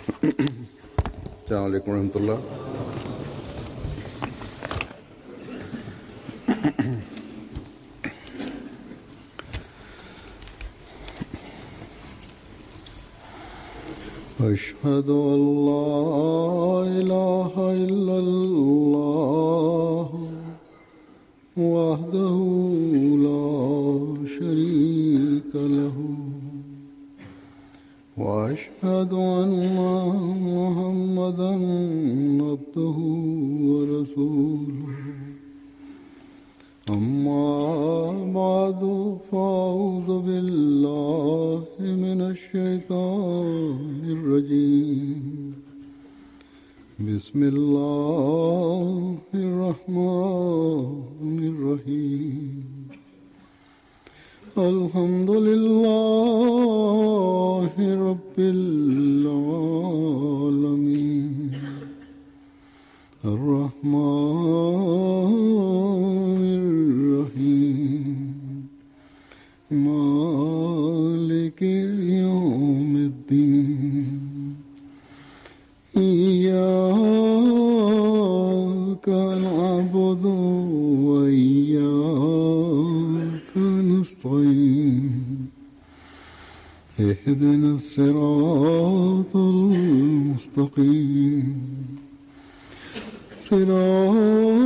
अस्सलाम वालेकुम रहमतुल्लाह। अशहदु अल्ला इलाहा इल्लल्लाह वहदहु ला शरीका लहू वअशहदु अन्ना मुहम्मदन अब्दुहु व रसूलुहु। अम्मा बादु फ़अऊज़ु बिल्लाहि मिनश शैतानिर रजीम। बिस्मिल्लाहिर रहमानिर रहीम। अल्हम्दुलिल्लाहि रब्बिल आलमीन अर्रहमानिर रहीम मालिकि यौमिद्दीन। इय्याका नअबुदु व इय्याका नस्तईन। इहदिनस सिरातल मुस्तकीम सिरातल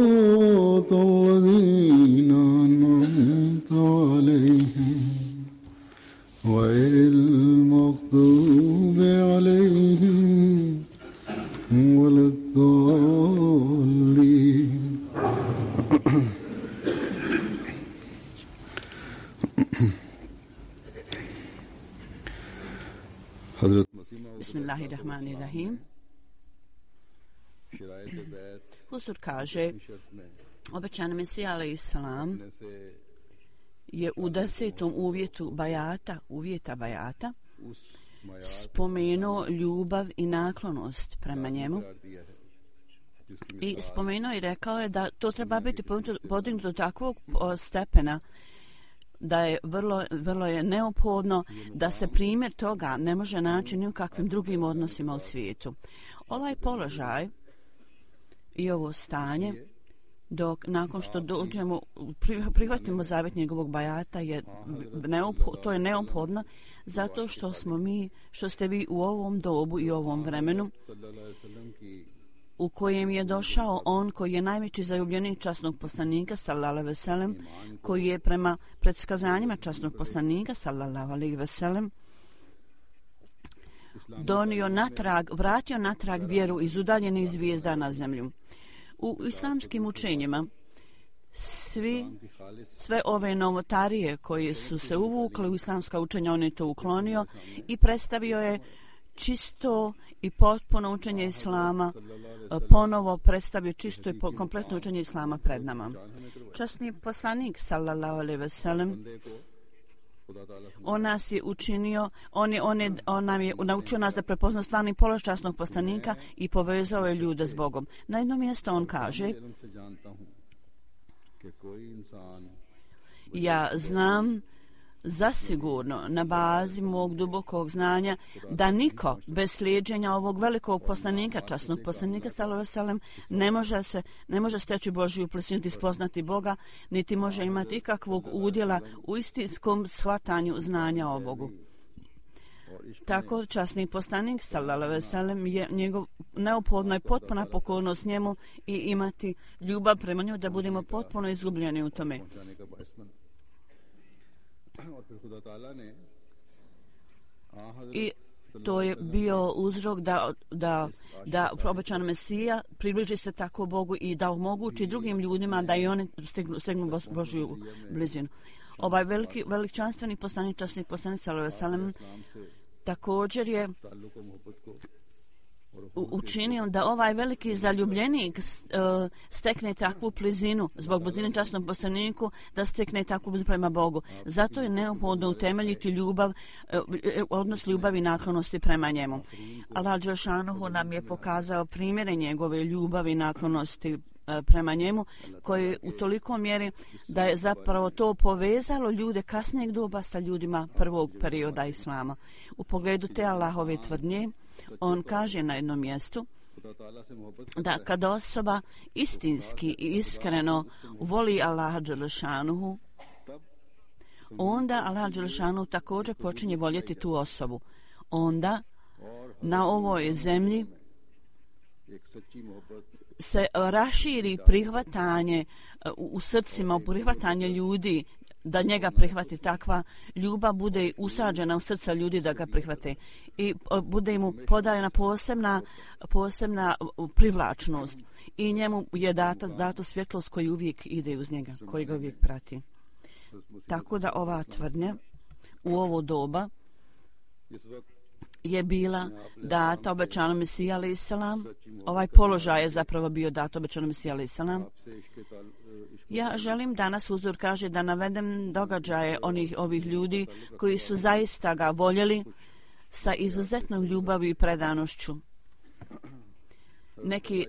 लज़ीना अनअमता अलैहिम गैरिल मग़दूबि अलैहिम वलद्दाल्लीन। Bismillahirrahmanirrahim. Huzur kaže, obećani Mesija alejhi selam je u 10. uvjeta bajata spomenuo ljubav i naklonost prema njemu i spomenuo i rekao je da to treba biti podignuto do takvog stepena da je vrlo je neophodno da se primjer toga ne može naći ni u kakvim drugim odnosima u svijetu. Ovaj položaj i ovo stanje, nakon što dođemo, prihvatimo zavjet njegovog bajata, to je neophodno zato što ste vi u ovom dobu i ovom vremenu u kojem je došao on koji je najveći zaljubljenik časnog poslanika sallallahu alejhi ve sellem, koji je prema predskazanjima časnog poslanika sallallahu alejhi ve sellem vratio natrag vjeru iz udaljenih zvijezda na zemlju. U islamskim učenjima sve ove novotarije koje su se uvukle u islamska učenja, on je to uklonio i predstavio je čisto i potpuno učenje islama, ponovo predstavio čisto i kompletno učenje islama pred nama. Časni poslanik sallallahu alejhi ve sellem on nas je učinio, on nam je naučio nas da prepozna stvarni položaj časnog poslanika i povezao je ljude s Bogom. Na jednom mjestu on kaže: ja znam zasigurno na bazi mog dubokog znanja da niko bez slijeđenja ovog velikog poslanika, časnog poslanika sallallahu alejhi ve sellem, ne može steći Božju blizinu i spoznati Boga, niti može imati ikakvog udjela u istinskom shvatanju znanja o Bogu. Tako časni poslanik sallallahu alejhi ve sellem je neophodno je potpuna pokornost njemu i imati ljubav prema njemu da budemo potpuno izgubljeni u tome. I to je bio uzrok da obećani Mesija približi se tako Bogu i da omogući drugim ljudima da i oni stegnu Božju blizinu. Ovaj veličanstveni poslanik, časni poslanik sallallahu alejhi ve sellem također je učinio da ovaj veliki zaljubljenik stekne takvu blizinu zbog blizine časnom poslaniku, da stekne takvu blizinu prema Bogu. Zato je neophodno utemeljiti odnos ljubavi i naklonosti prema njemu. Allah dželle šanuhu nam je pokazao primjere njegove ljubavi i naklonosti prema njemu, koji u toliko mjeri da je zapravo to povezalo ljude kasnijeg doba sa ljudima prvog perioda islama. U pogledu te Allahove tvrdnje, on kaže na jednom mjestu da kad osoba istinski i iskreno voli Allaha dželešanuhu, onda Allah dželešanuhu također počinje voljeti tu osobu. Onda na ovoj zemlji se raširi prihvatanje u srcima, prihvatanje ljudi da njega prihvati, takva ljubav bude usađena u srca ljudi da ga prihvate i bude mu podaljena posebna privlačnost i njemu je dato svjetlost koji uvijek ide uz njega, koji ga uvijek prati. Tako da ova tvrdnja u ovo doba je bila data obećanom Mesiji alejhi selam. Ovaj položaj je zapravo bio dat obećanom Mesiji alejhi selam. Ja želim danas, uzor kaže, da navedem događaje ovih ljudi koji su zaista ga voljeli sa izuzetnom ljubavi i predanošću.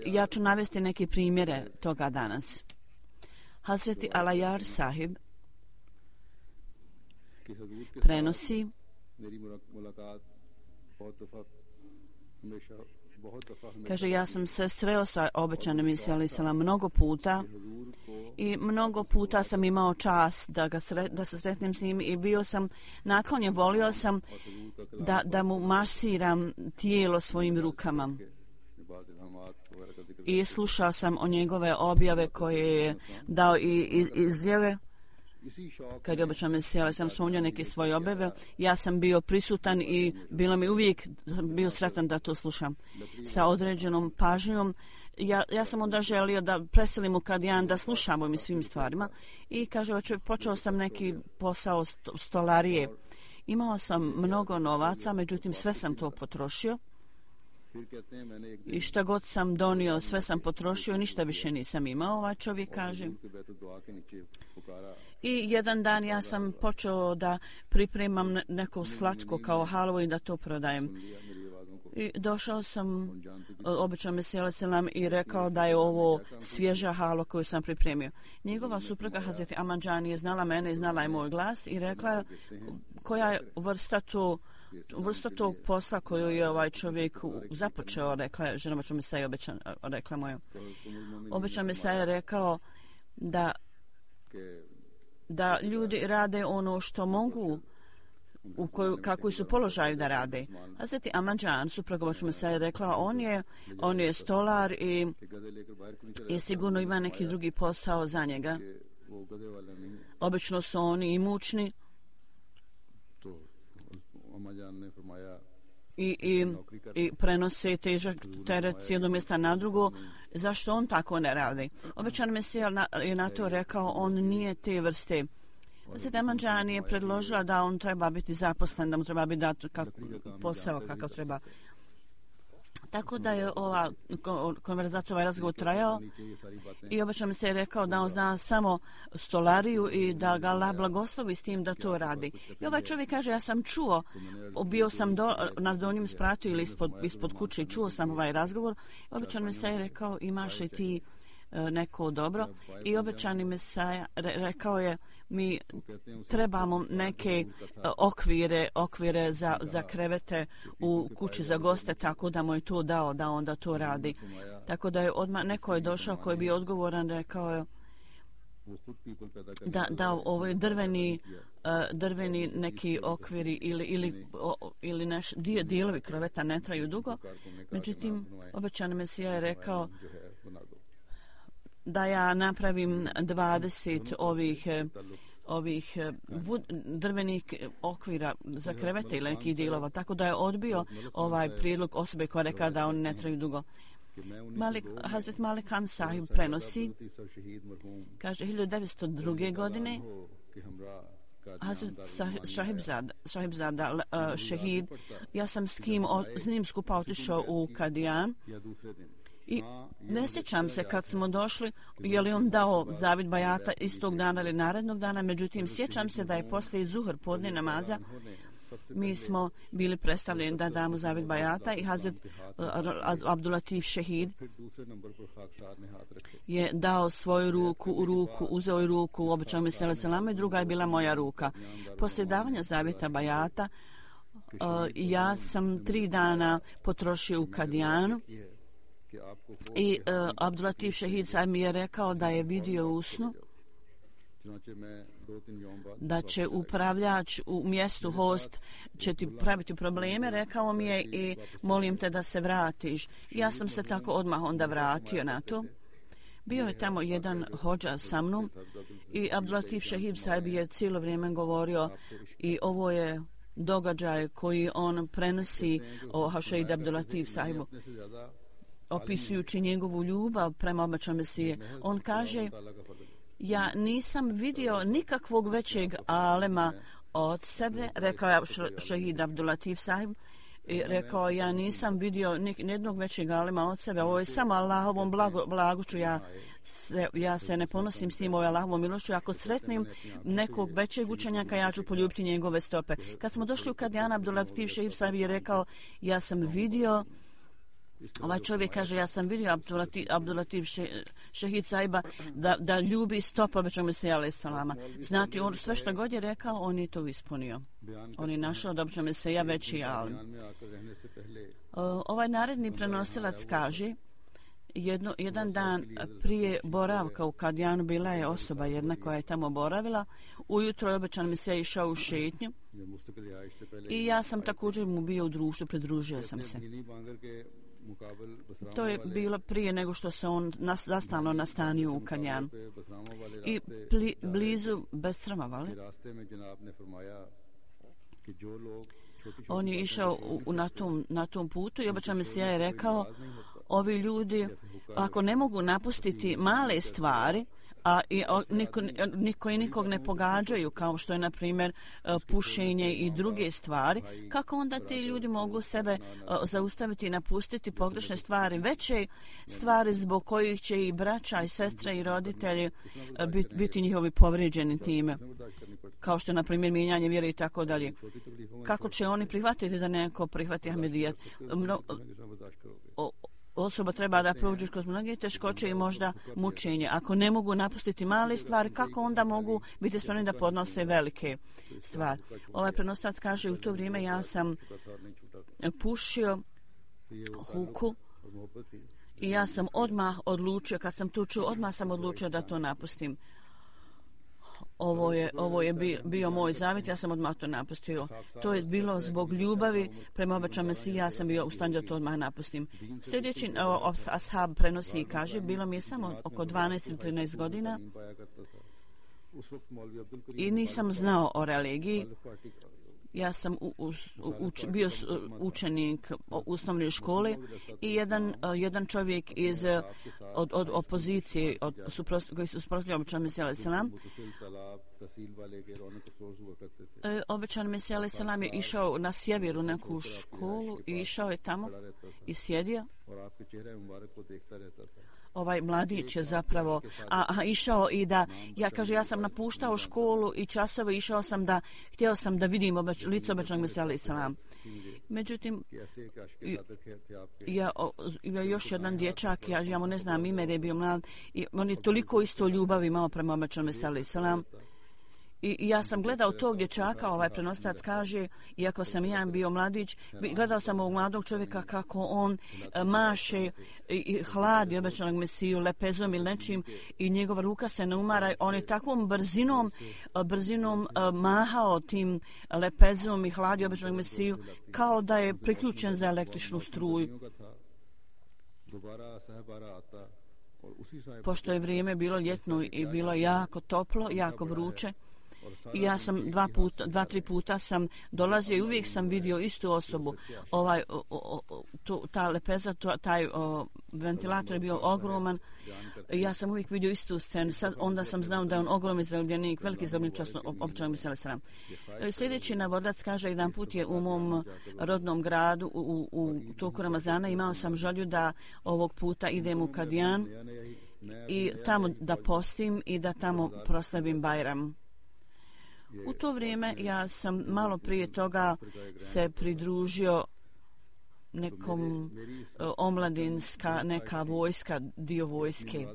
Ja ću navesti neke primjere toga danas. Hazreti Alajar sahib prenosi kaže, ja sam se sreo sa obećanim Mesijom alejhi selam mnogo puta i mnogo puta sam imao čast da se sretnem s njim i bio sam naklonjen, volio sam da mu masiram tijelo svojim rukama. I slušao sam o njegove objave koje je dao i izjave. Kad je obećan Mesija, ali sam spominjao neke svoje objave, ja sam bio prisutan i bilo mi uvijek bio sretan da to slušam sa određenom pažnjom. Ja sam onda želio da preselim u Kadijan, da slušamo ovim svim stvarima i kaže, počeo sam neki posao stolarije. Imao sam mnogo novaca, međutim sve sam to potrošio i šta god sam donio, sve sam potrošio, ništa više nisam imao, ovaj čovjek kaže. I jedan dan ja sam počeo da pripremam neko slatko kao halvu i da to prodajem. I došao sam obećanom Mesiji alejhi selam i rekao da je ovo svježa halva koju sam pripremio. Njegova supruga Hazreti Amanđani je znala mene i znala je moj glas i rekla koja je vrsta tog posla koju je ovaj čovjek započeo, rekla je žena obećanog Mesija, rekla moja. Obećan Mesija je rekao da ljudi rade ono što mogu, kakvi su položaju da rade. Hazreti Amanđan, supruga obećanog Mesija, je rekla on je stolar i sigurno ima neki drugi posao za njega. Obično su oni imućni i prenose težak teret s jednog mjesta na drugo. Zašto on tako ne radi? Obećan Mesija je na to rekao, on nije te vrste. Hazreti Amanđan je predložila da on treba biti zaposlen, da mu treba biti dat posao kakav treba. Tako da je ova konverzacija, ovaj razgovor trajao i obećan Mesija je rekao da on zna samo stolariju i da ga Allah blagoslovi s tim da to radi. I ovaj čovjek kaže, ja sam čuo, bio sam na donjem spratu ili ispod kuće i čuo sam ovaj razgovor. Obećan Mesija je rekao, imaš li ti neko dobro? I obećani Mesija rekao je, mi trebamo neke okvire za krevete u kući za goste, tako da mu je to dao da onda to radi. Tako da je odmah neko je došao koji je bio odgovoran, rekao je da ovo je drveni neki okviri ili dijelovi kreveta ne traju dugo. Međutim, obećani Mesija je rekao da ja napravim 20 ovih drvenih okvira za krevete ili nekih dijelova, tako da je odbio ovaj prijedlog osobe koja reka da oni ne traju dugo. Hazret Malik Khan sahib prenosi, kaže 1902. godine Hazret Šahibzada šehid, ja sam s njim skupa otišao u Kadijan i ne sjećam se kad smo došli je li on dao zavid bajata istog dana ili narednog dana, međutim sjećam se da je poslije zuhr podne namaza mi smo bili predstavljeni da damo zavet bajata i Hazret Abdulatif Šehid je dao svoju ruku, uzeo ruku u običajnom mesele selama i druga je bila moja ruka. Poslije davanja zavjeta bajata ja sam 3 dana potrošio u Kadijanu i Abdulatif Šehid sad mi je rekao da je vidio u snu da će upravljač u mjestu host će ti praviti probleme, rekao mi je i molim te da se vratiš. Ja sam se tako odmah onda vratio na to. Bio je tamo jedan hodža sa mnom i Abdulatif Šehid sahib je cijelo vrijeme govorio i ovo je događaj koji on prenosi o Hašeid Abdulatif sahibu, opisujući njegovu ljubav prema obećanom Mesije. On kaže, ja nisam vidio nikakvog većeg alema od sebe, rekao je Šehid Abdulatif sahib, i rekao, ja nisam vidio nijednog većeg alema od sebe, ovo je samo Allahovom blagošću, ja se ne ponosim s tim, ovo je Allahovom milošću, ako sretnim nekog većeg učenjaka, ja ću poljubiti njegove stope. Kad smo došli u Kadijana, Abdulatif Šehid sahib je rekao, ja sam vidio, ovaj čovjek kaže, ja sam vidio Abdulatif Šehid sahiba da ljubi stopa obećanog Mesija alejhi selama. Znači, on sve što god je rekao, on je to ispunio. On je našao da obećanog Mesija veći alim. Ovaj naredni prenosilac kaže, jedan dan prije boravka u Kadijanu bila je osoba jedna koja je tamo boravila. Ujutro je obećan Mesija išao u šetnju i ja sam također mu bio u društvu, pridružio sam se. To je bilo prije nego što se on zastalno nastanio u Kadijanu. I blizu Besramavali on je išao na tom putu i obećan Mesija je rekao, ovi ljudi ako ne mogu napustiti male stvari, a niko i nikog ne pogađaju, kao što je na primjer pušenje i druge stvari, kako onda ti ljudi mogu sebe zaustaviti i napustiti pogrešne stvari, veće stvari zbog kojih će i braća i sestre i roditelji biti njihovi povrijeđeni time, kao što je na primjer mijenjanje vjere i tako dalje. Kako će oni prihvatiti da neko prihvati Ahmedijat? Osoba treba da prođe kroz mnoge teškoće i možda mučenje. Ako ne mogu napustiti male stvari, kako onda mogu biti spremni da podnose velike stvari? Ovaj prenosilac kaže, u to vrijeme ja sam pušio huku i ja sam odmah odlučio, kad sam to čuo, odmah sam odlučio da to napustim. Ovo je bio moj zavjet, ja sam odmah to napustio. To je bilo zbog ljubavi prema obećanom Mesiji, ja sam bio u stanju da to odmah napustim. Sljedeći ashab prenosi i kaže, bilo mi je samo oko 12 ili 13 godina i nisam znao o religiji. Ja sam bio učenik osnovne škole i jedan čovjek od opozicije koji su suprotstavljali obećanom Mesiju alejhi selam. Obećan Mesija alejhi selam je išao na sjeveru neku školu i išao je tamo i sjedio. Ovaj mladić je zapravo išao i ja sam napuštao školu i časove, htio sam da vidim lice obećanog Mesija alejhi selam. Međutim, još jedan dječak, ja mu ne znam ime, da je bio mlad, i on je toliko isto ljubavi imao prema obećanom Mesiju alejhi selam. I ja sam gledao tog dječaka, ovaj prenosilac kaže, iako sam ja bio mladić, gledao sam ovog mladog čovjeka kako on maše i hladi obećanog Mesiju lepezom ili nečim i njegova ruka se ne umara. On je takvom brzinom mahao tim lepezom i hladi obećanog Mesiju kao da je priključen za električnu struju. Pošto je vrijeme bilo ljetno i bilo jako toplo, jako vruće, i ja sam 2-3 puta sam dolazio i uvijek sam vidio istu osobu. Ta lepeza, taj ventilator je bio ogroman. Ja sam uvijek vidio istu scenu. Onda sam znao da je on ogromni zarobljenik, veliki zarobljenik obećanog Mesija alejhi selam. Sljedeći navodilac kaže, jedan put je u mom rodnom gradu u toku Ramazana imao sam želju da ovog puta idem u Kadijan i tamo da postim i da tamo proslavim Bajram. U to vrijeme ja sam malo prije toga se pridružio nekom omladinska, neka vojska, dio vojske,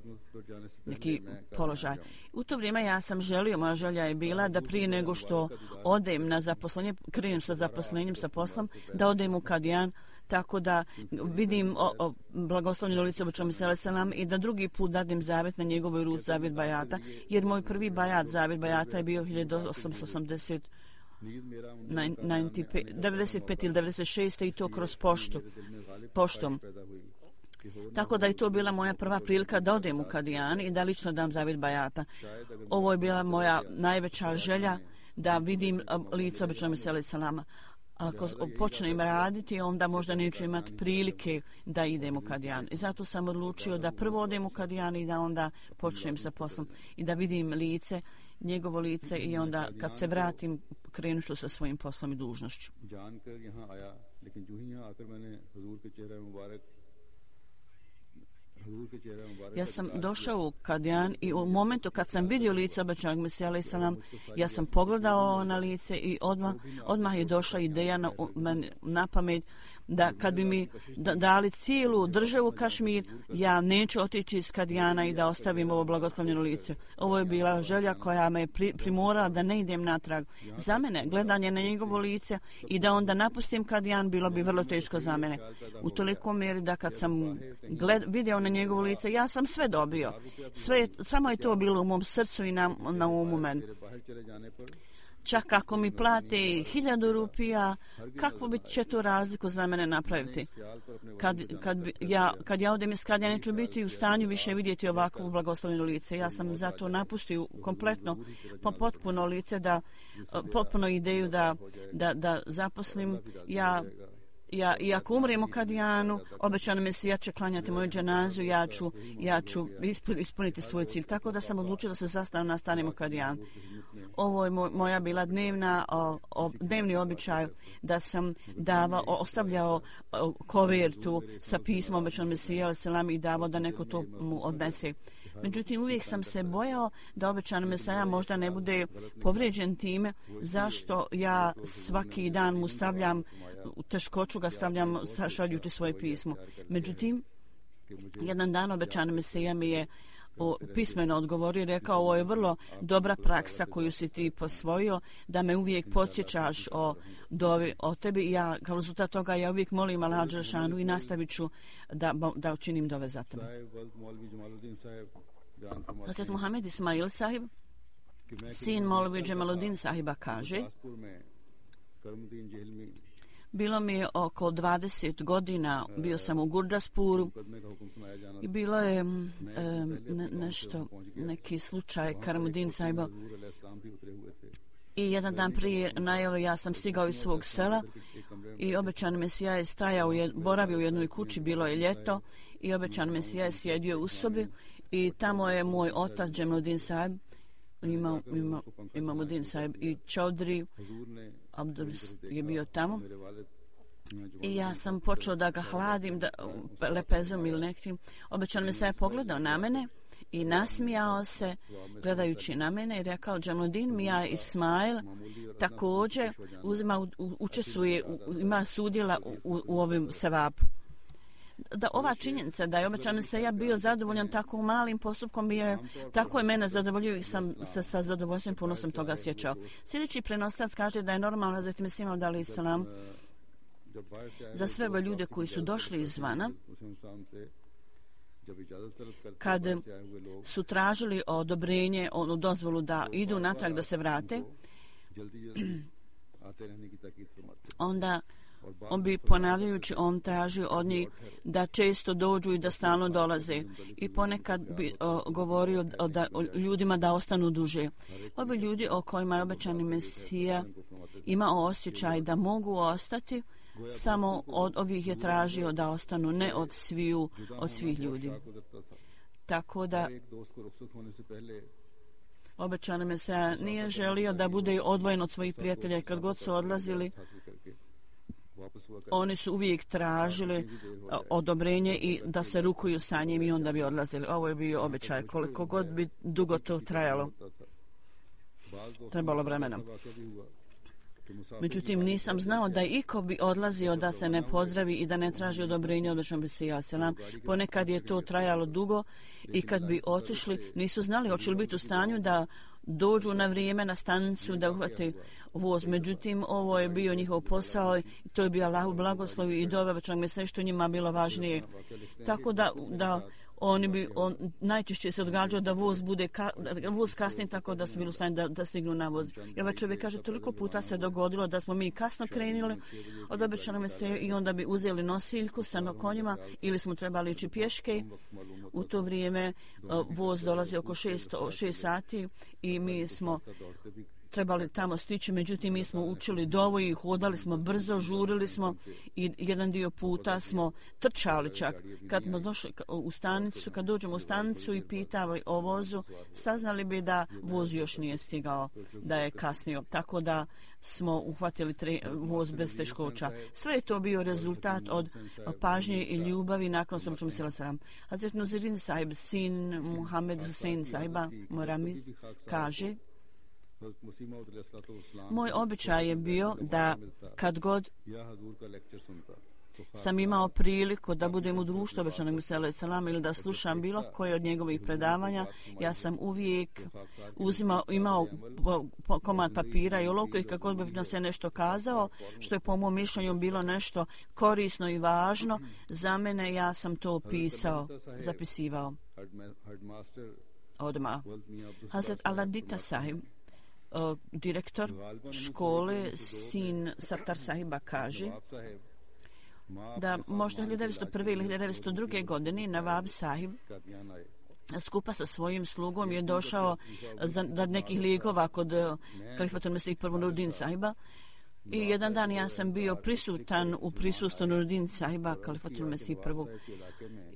neki položaj. U to vrijeme ja sam želio, moja želja je bila da prije nego što odem na zaposlenje, krenem sa zaposlenjem, sa poslom, da odem u Kadijan, tako da vidim blagoslovljeno lice obećanog Mesija selam i da drugi put dadim zavjet na njegovoj ruci, zavjet bajata, jer moj prvi bajat, zavjet bajata je bio 1895 ili 96 i to kroz poštom. Tako da je to bila moja prva prilika da odem u Kadijan i da lično dam zavjet bajata. Ovo je bila moja najveća želja da vidim lice obećanog Mesija selama. Ako počnem raditi, onda možda neću imati prilike da idem u Kadijan. I zato sam odlučio da prvo odem u Kadijan i da onda počnem sa poslom i da vidim lice, njegovo lice i onda kad se vratim krenut ću sa svojim poslom i dužnošću. Ja sam došao u Kadijan i u momentu kad sam vidio lice obećanog Mesija alejhi selam, ja sam pogledao na lice i odmah je došla ideja na pamet da kad bi mi dali cijelu državu Kašmir, ja neću otići iz Kadijana i da ostavim ovo blagoslovljeno lice. Ovo je bila želja koja me primorala da ne idem natrag. Za mene, gledanje na njegovo lice i da onda napustim Kadijan bilo bi vrlo teško za mene. U toliko mjeri da kad sam vidio na njegovo lice, ja sam sve dobio. Samo je to bilo u mom srcu i na umu meni. Čak ako mi plate 1000 rupija, kakvu bi će to razliku za mene napraviti? Kad ja odem iz Kadija, neću biti u stanju više vidjeti ovakvo blagoslovljeno lice. Ja sam zato napustio kompletno, potpuno lice, potpuno ideju da zaposlim. I ako umrem u Kadijanu, obećano Mesija će klanjati moju dženazu, ja ću ispuniti svoj cilj. Tako da sam odlučila da se nastanem u Kadijanu. Ovo je moja bila dnevni običaj da sam ostavljao kovertu sa pismom obećanog Mesija alejhi selam i davao da neko to mu odnese. Međutim, uvijek sam se bojao da obećani Mesija možda ne bude povrijeđen time zašto ja svaki dan mu stavljam u teškoću, ga stavljam šaljući svoje pismo. Međutim, jedan dan obećani Mesija mi je pismeno odgovorio i rekao, ovo je vrlo dobra praksa koju si ti posvojio, da me uvijek podsjećaš o tebi i ja, kao rezultat toga, ja uvijek molim Allaha dželešanu i nastavit ću da učinim dove za tebe. Hazret Muhammed Ismail sahib, sin Molvi Džemaluddin sahiba, kaže, bilo mi je oko 20 godina, bio sam u Gurdaspuru i bilo je neki slučaj Karamuddin sahiba. I jedan dan prije najave ja sam stigao iz svog sela i obećani Mesija je boravio u jednoj kući, bilo je ljeto i obećani Mesija je sjedio u sobi i tamo je moj otac Džemaluddin sahib, Imamuddin sahib i Čaudri Abdul je bio tamo. I ja sam počeo da ga hladim, lepezom ili nekim. Obećan Mesija je pogledao na mene i nasmijao se gledajući na mene i rekao, Džemaluddin Mija Ismail također učestvuje, ima sudjela u ovim sevapu. Da ova činjenica da je obećan Mesija bio zadovoljan tako malim postupkom, tako je mene zadovoljio i sam se sa zadovoljstvom puno sam toga sjećao. Sljedeći prenoslac kaže da je normalno Hazret Mesih Maud alejhi selam za sve ove ljude koji su došli izvana, kad su tražili odobrenje, dozvolu da idu natrag, da se vrate, onda on bi ponavljajući, on traži od njih da često dođu i da stalno dolaze. I ponekad bi govorio ljudima da ostanu duže. Ovi ljudi o kojima je obećani Mesija imao osjećaj da mogu ostati, samo od ovih je tražio da ostanu, ne od svih ljudi. Tako da obećani Mesija nije želio da bude odvojen od svojih prijatelja. Kad god su odlazili, oni su uvijek tražili odobrenje i da se rukuju sa njim i onda bi odlazili. Ovo je bio običaj, koliko god bi dugo to trajalo. trebalo vremena. Međutim, nisam znao da iko bi odlazio da se ne pozdravi i da ne traži odobrenje od Božnog Mesija selam. Ponekad je to trajalo dugo i kad bi otišli, nisu znali hoće li biti u stanju da dođu na vrijeme na stanicu da uhvate voz. Međutim, ovo je bio njihov posao i to je bio Allahov blagoslov i dova Božnog Mesija što njima bilo važnije. Tako da najčešće se odgađao da voz kasni tako da su bili u stanju da stignu na voz. I ovaj čovjek kaže, toliko puta se dogodilo da smo mi kasno krenuli od obećanog Mesije i onda bi uzeli nosiljku sa konjima ili smo trebali ići pješke. U to vrijeme voz dolazi oko 6 sati i mi smo trebali tamo stići, međutim mi smo učili dovu i hodali smo brzo, žurili smo i jedan dio puta smo trčali čak. Kad smo došli u stanicu, kad dođemo u stanicu i pitali o vozu, saznali bi da voz još nije stigao, da je kasnio. Tako da smo uhvatili voz bez teškoća. Sve je to bio rezultat od pažnje i ljubavi nakon što ćemo se lasaram. Hazret Nuruddin Sahib, sin Muhammed Hussein Sahiba Moramiz, kaže: moj običaj je bio da kad god sam imao priliku da budem u društvu obećanog Mesija selam ili da slušam bilo koje od njegovih predavanja, ja sam uvijek imao komad papira i olovku i kako bi nam se nešto kazao, što je po mom mišljenju bilo nešto korisno i važno za mene, ja sam to pisao, zapisivao odmah. Hazret Aladita Sahib, direktor škole, sin Sattar Sahiba, kaže da možda 1901. ili 1902. godine Nawab Sahib skupa sa svojim slugom je došao za nekih lijekova kod Kalifatul Mesih I. Nuruddin Sahiba i jedan dan ja sam bio prisutan u prisustvu Nuruddin Sahiba Kalifatul Mesih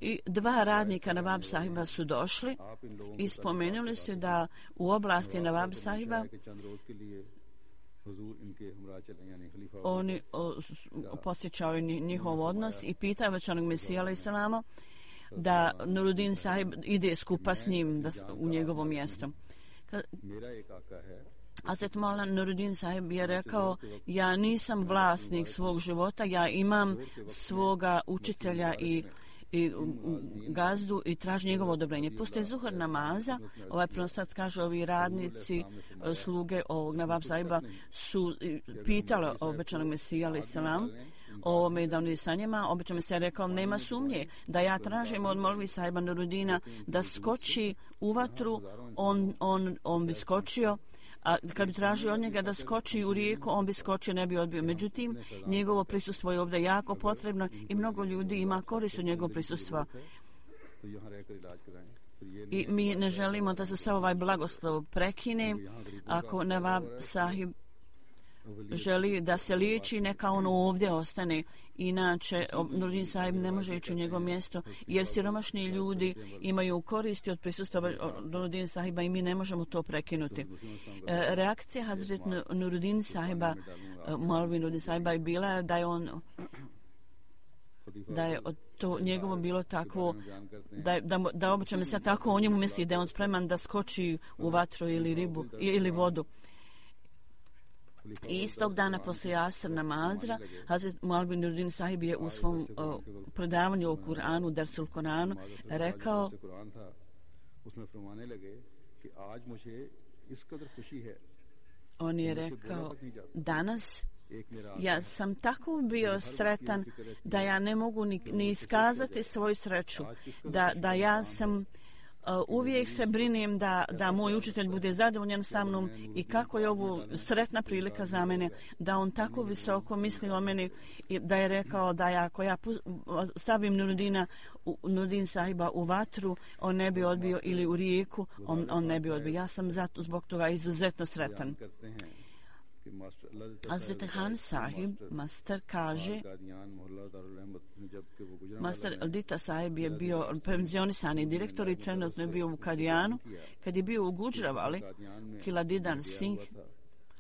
I. 2 radnika Nawab Sahiba su došli i spomenuli su da u oblasti Nawab Sahiba oni podsjećaju njihov odnos i pitaju Božnog Mesija selama da Nuruddin Sahib ide skupa s njim u njegovo mjesto. Hazret Maulana Nuruddin Sahib je rekao, ja nisam vlasnik svog života, ja imam svoga učitelja i gazdu i traži njegovo odobrenje. Poslije zuhur namaza, ovaj pronosilac kaže, ovi radnici, sluge ovog Nawab Sahiba su pitali obećanog Mesija selam o ovome da on ide sa njima. Obećan Mesija je rekao, nema sumnje da ja tražim od Molvi Sahiba Nuruddina da skoči u vatru, on bi skočio, a kad bi tražio od njega da skoči u rijeku, on bi skočio, ne bi odbio. Međutim, njegovo prisustvo je ovdje jako potrebno i mnogo ljudi ima korist od njegovog prisustva. I mi ne želimo da se sav ovaj blagoslov prekine. Ako Nawab Sahib želi da se liječi, neka on ovdje ostane. Inače, Nuruddin Sahib ne može ići u njegovo mjesto, jer siromašni ljudi imaju koristi od prisustva Nuruddin Sahiba i mi ne možemo to prekinuti. Reakcija Hazret Nuruddin Sahiba, Maulvi Nuruddin Sahiba, je bila da je to njegovo bilo tako, da obično se tako o njemu misli, da je on spreman da skoči u vatru ili ribu ili vodu. I istog dana poslije Asr namaza Hazret Maulvi Nuruddin Sahib je u svom predavanju o Kur'anu, Dersul Kur'anu, rekao, on je rekao, danas ja sam tako bio sretan da ja ne mogu ni iskazati svoju sreću, da ja sam uvijek se brinem da moj učitelj bude zadovoljan sa mnom i kako je ovo sretna prilika za mene, da on tako visoko misli o meni i da je rekao da ako ja stavim Nuruddin Sahiba u vatru, on ne bi odbio, ili u rijeku, on ne bi odbio. Ja sam zbog toga izuzetno sretan. Hazret Khan Sahib, master, kaže, master Aldita Sahib je bio penzionisani direktor i trenutno je bio u Kadijanu. Kad je bio u Gujravali, Kiladidan Singh,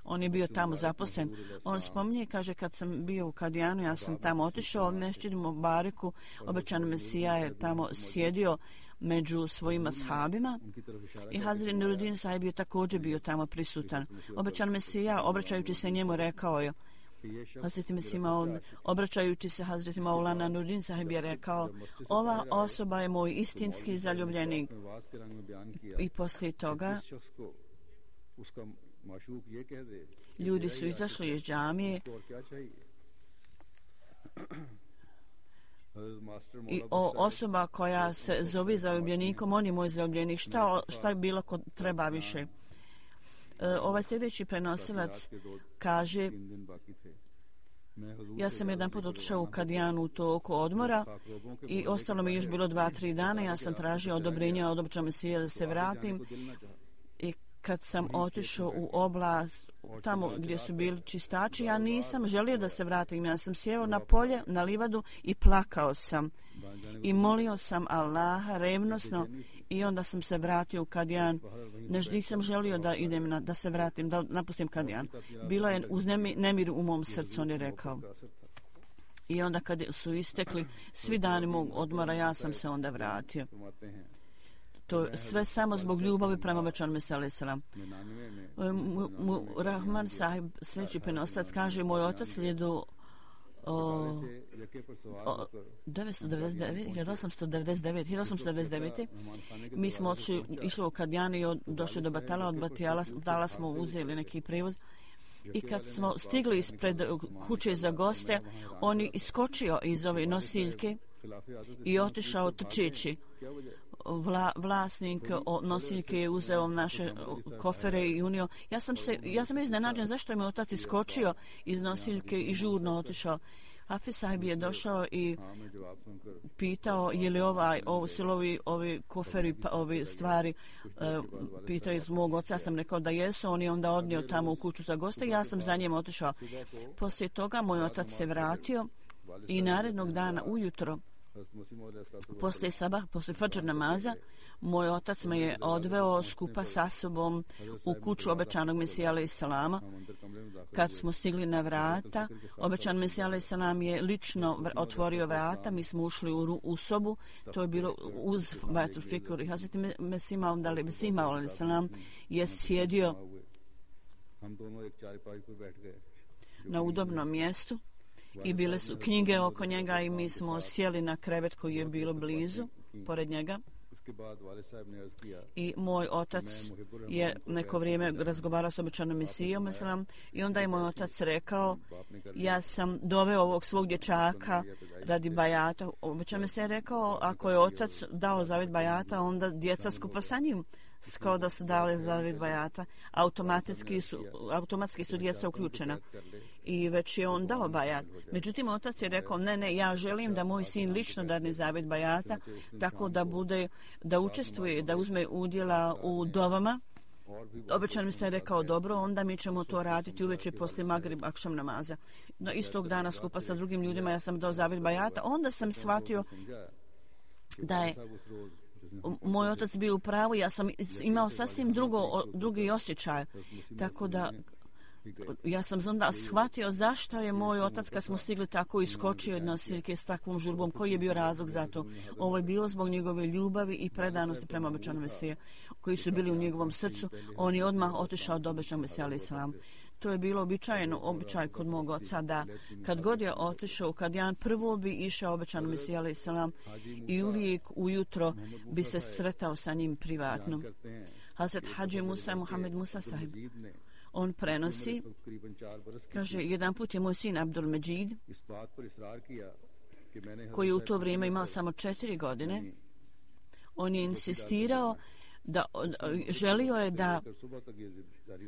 on je bio tamo zaposlen. On spominje, kaže, kad sam bio u Kadijanu, ja sam tamo otišao, Mešćid Mubariku, obećan Mesija je tamo sjedio među svojim ashabima i Hazret Nuruddin sahib je također bio tamo prisutan. Obećan Mesija, obraćajući se njemu, rekao je, Hazreti Mesih Maud, obraćajući se Hazreti Maulana Nuruddin sahib je rekao, ova osoba je moj istinski zaljubljenik. I poslije toga ljudi su izašli iz džamije i osoba koja se zove zaljubljenikom, on je moj zaljubljenik, šta je bilo ko treba više. Ovaj sljedeći prenosilac kaže, ja sam jedan put otišao u Kadijanu u toku odmora i ostalo mi još bilo 2-3 dana, ja sam tražio odobrenja od obećanog Mesija da se vratim i kad sam otišao u oblast tamo gdje su bili čistači, ja nisam želio da se vratim, ja sam sjeo na polje, na livadu i plakao sam i molio sam Allaha revnosno i onda sam se vratio u Kadijan. Nisam želio da idem da se vratim, da napustim Kadijan. Bilo je uz nemir u mom srcu, on je rekao. I onda kad su istekli svi dani mog odmora, ja sam se onda vratio. To sve samo zbog ljubavi prema obećanom Mesiju alejhi selam. Rahman sahib, sljedeći prenosac, kaže, moj otac je do 1899. Mi smo išli u Kadijanu i došli do Batala, od Batala smo uzeli neki prevoz. I kad smo stigli ispred kuće za goste, on je iskočio iz ove nosiljke i otišao trčeći. Vlasnik nosiljke je uzeo naše kofere i unio. Ja sam iznenađen zašto je moj otac iskočio iz nosiljke i žurno otišao. Hafiz sahib je došao i pitao je li ovi koferi, ovi stvari, pitao iz mog oca, ja sam rekao da jesu, on je onda odnio tamo u kuću za goste i ja sam za njim otišao. Poslije toga moj otac se vratio i narednog dana ujutro, poslije fadžr namaza, moj otac me je odveo skupa sa sobom u kuću obećanog Mesija alejhi selama. Kad smo stigli na vrata, obećan Mesija alejhi selam je lično otvorio vrata, mi smo ušli u sobu, to je bilo uz Baitul Fikur i Hazreti Mesih Maud alejhi selam je sjedio na udobnom mjestu i bile su knjige oko njega i mi smo sjeli na krevet koji je bilo blizu, pored njega. I moj otac je neko vrijeme razgovarao s obećanom Mesijom i onda je moj otac rekao, ja sam doveo ovog svog dječaka radi bajata. Obećan Mesija je rekao, ako je otac dao zavjet bajata, onda djeca skupa sa njim kao da su dali zavjet bajata. Automatski su djeca uključena i već je on dao bajat. Međutim, otac je rekao, ne, ja želim da moj sin lično dadne zavjet bajata, tako da učestvuje, da uzme udjela u dovama. Obećan mi se rekao, dobro, onda mi ćemo to raditi uveče poslije Magrib akšam namaza. No, istog dana skupa sa drugim ljudima ja sam dao zavjet bajata, onda sam shvatio da je moj otac bio u pravu, ja sam imao sasvim drugi osjećaj, tako da ja sam onda shvatio zašto je moj otac kad smo stigli tako iskočio od nosiljke s takvom žurbom, koji je bio razlog za to. Ovo je bilo zbog njegove ljubavi i predanosti prema obećanom Mesiju koji su bili u njegovom srcu. On je odmah otišao do obećanog Mesija alejhi selam. To je bilo običaj kod mog oca da kad god je otišao u Kadijan, prvo bi išao obećanom Mesija alejhi selam i uvijek ujutro bi se sretao sa njim privatno. Hazret Hadži Musa Muhammed Musa sahib, on prenosi, kaže, jedan put je moj sin Abdul Međid, koji u to vrijeme imao samo 4 godine, on je insistirao želio je da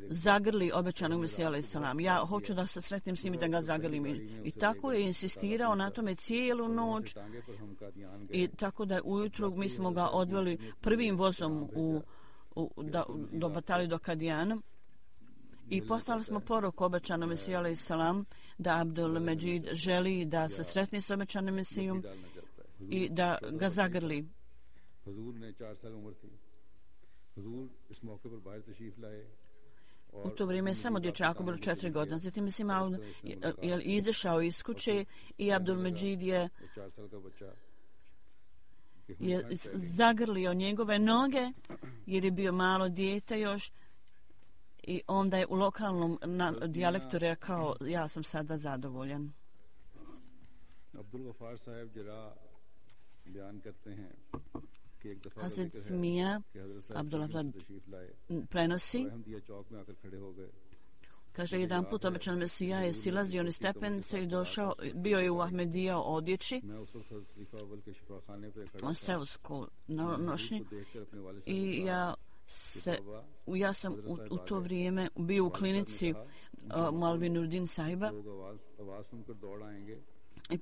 zagrli obećanog Mesija alejhi selam. Ja hoću da se sretnem s njim i da ga zagrlim. I tako je insistirao na tome cijelu noć. I tako da ujutro mi smo ga odveli prvim vozom do Batali, do Kadijana. I poslali smo poruku obećanom Mesiju alejhi selam da Abdul Međid želi da se sretne s obećanim Mesijom i da ga zagrli. U to vrijeme je samo dječaku bilo 4 godine. Zatim Mesih Maud je izašao iz kuće i Abdul Međid je je zagrlio njegove noge jer je bio malo dijete još i onda je u lokalnom dijalektu rekao ja sam sada zadovoljan. Abdul गफ्फार साहब जरा बयान करते हैं कि एक दफा Hazret Mija Abdullah prenosi, Ahmadiyya चौक में आकर खड़े हो गए. kaže jedan put obećan Mesija je silazio niz stepenice i došao, bio je u Ahmedija odjeći, मैं उस वक्त हज़रत खलीफा अव्वल के शिफाखाने पे खड़ा on seosko nošnji देखकर अपने वाले i ja sam u to vrijeme bio u klinici Malvi Nurdin sahiba लोग आवाज सुनकर दौड़ आएंगे. i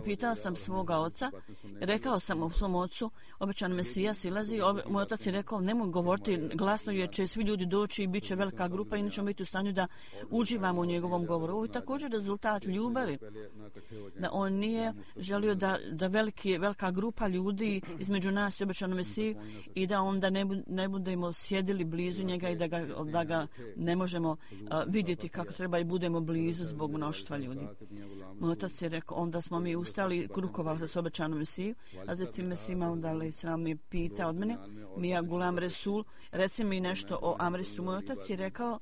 pitao sam svoga oca, rekao sam u svom ocu, obećan Mesija silazi, moj otac je rekao, nemoj govoriti glasno jer će svi ljudi doći i bit će velika grupa i nećemo biti u stanju da uživamo u njegovom govoru. Ovo je također rezultat ljubavi, da on nije želio da velika grupa ljudi između nas i obećan Mesiju i da onda ne budemo sjedili blizu njega i da ga ne možemo vidjeti kako treba i budemo blizu zbog mnoštva ljudi. Moj otac je rekao, onda smo mi ustali, rukovali se s obećanom Mesiju, a zatim Mesih Maud alejhi selam je pitao od mene, Mija Gulam Resul, reci mi nešto o Amristru. Moj otac je rekao,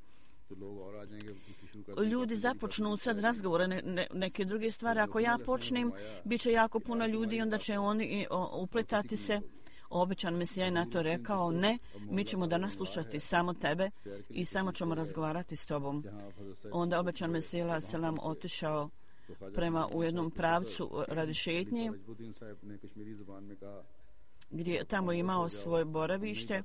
ljudi započnu sad razgovore, neke druge stvari, ako ja počnem, bit će jako puno ljudi i onda će oni upletati se. Obećan Mesija je na to rekao, ne, mi ćemo danas slušati samo tebe i samo ćemo razgovarati s tobom. Onda obećan Mesija alejhi selam otišao prema u jednom pravcu radi šetnje gdje tamo imao svoje boravište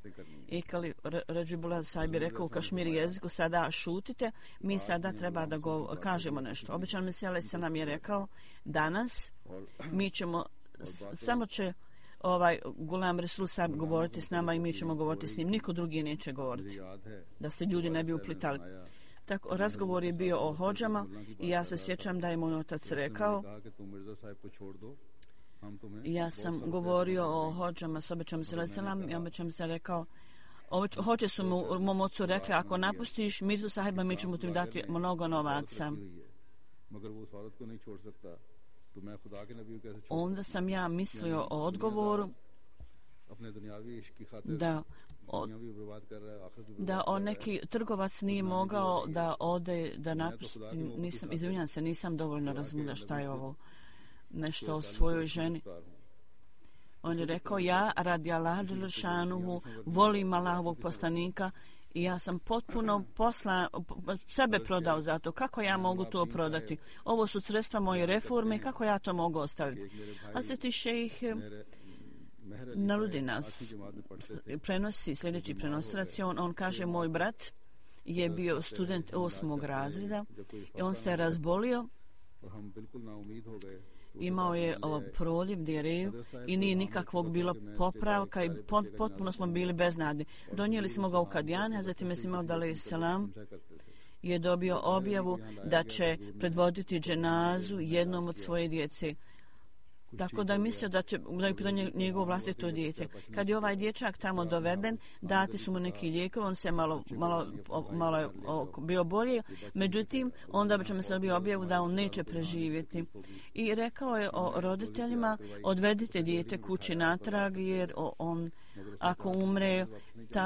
i Kali Radžibullah sahib je rekao u kašmiri jeziku, sada šutite, mi sada treba da kažemo nešto. Obećan Mesija alejhi selam je rekao, danas mi ćemo, samo će Gulam Resul sahib govoriti s nama i mi ćemo govoriti s njim, niko drugi neće govoriti, da se ljudi ne bi uplitali. Tako, razgovor je bio o hodžama i ja se sjećam da je moj otac rekao, ja sam govorio o hodžama s obećam se alejhi selam i obećam se rekao, hođe su mom ocu rekli, ako napustiš Mirzu sahiba mi ćemo ti dati mnogo novaca. Onda sam ja mislio o odgovoru da neki trgovac nije mogao da ode, da napusti, izvinjam se, nisam dovoljno razumjela šta je ovo, nešto o svojoj ženi. On je rekao, ja radi Allaha dželle šanuhu volim Allahovog poslanika i ja sam potpuno sebe prodao za to. Kako ja mogu to prodati? Ovo su sredstva moje reforme, kako ja to mogu ostaviti? A se ti šejh Narudinac prenosi, sljedeći prenosilac, on kaže, moj brat je bio student 8. razreda i on se razbolio, imao je proliv, dijareju i nije nikakvog bilo popravka i potpuno smo bili beznadni. Donijeli smo ga u Kadijane, a zatim Mesih Maud alejhi selam je dobio objavu da će predvoditi dženazu jednom od svoje djece. Tako da je mislio da je pitanje njegovo vlastito dijete. Kad je ovaj dječak tamo doveden, dati su mu neki lijekovi, on se malo bio bolje, međutim, onda bi ćemo se dobio objavu da on neće preživjeti. I rekao je o roditeljima, odvedite dijete kući natrag, jer on, ako umre,